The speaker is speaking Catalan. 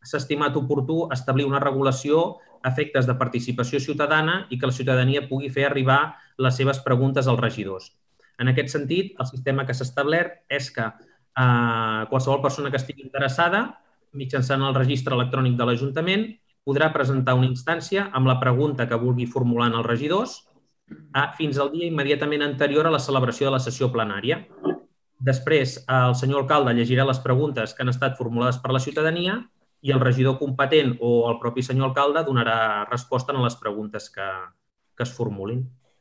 s'ha estimat oportú establir una regulació a efectes de participació ciutadana i que la ciutadania pugui fer arribar les seves preguntes als regidors. En aquest sentit, el sistema que s'ha establert és que qualsevol persona que estigui interessada, mitjançant el registre electrònic de l'Ajuntament, podrà presentar una instància amb la pregunta que vulgui formular als regidors fins al dia immediatament anterior a la celebració de la sessió plenària. Després, el senyor alcalde llegirà les preguntes que han estat formulades per la ciutadania i el regidor competent o el propi senyor alcalde donarà resposta a les preguntes que es formulin.